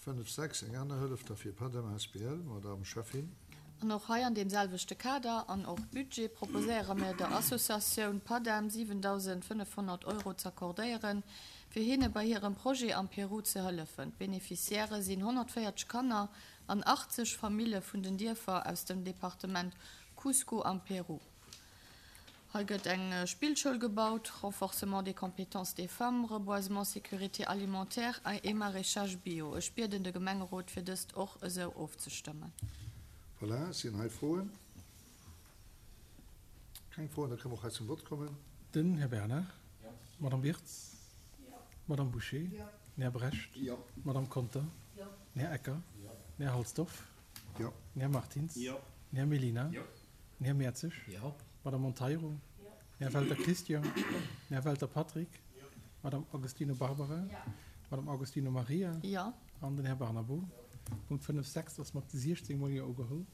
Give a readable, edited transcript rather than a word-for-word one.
5, 6, eng aner Hëllef da fir Padem asbl, Madame Schäffin. An och hei an deem selwechte Kader an och Budget proposéiere mir der Associatioun Padem 7.500 Euro z'accordéieren, fir hinne bei hirem Projet am Peru ze hëllefen. D'Beneficiairë sinn 140 Kanner an 80 Famille vun den Dierfer aus dem Departement Cusco am Peru. Hei gëtt eng Spillschoul gebaut, Renforcement des compétences des femmes, Reboisement, sécurité alimentaire et maraîchage bio. Ech bieden de Gemengerot fir dëst och esou ofzestëmmen. Voilà, sinn hei Froen? Keng Froen, da kënne mer och hei zum Vott kommen. Den Här Bernard. D'Madame Wirtz. D'Madame Bouché. Den Här Brecht. D'Madame Conter. Den Här Ecker. Den Här Halsdorf. Den Här Martins. Den Här Mellina. Den Här Mertzig. D'Madame Monteiro. Den Här Welter Christian. Den Här Welter Patrick. D'Madame Agostino Barbara. D'Madame Agostino Maria. An den Här Barnabo. Punkt 5, 6 ass mat 16 mol Jo ugeholl.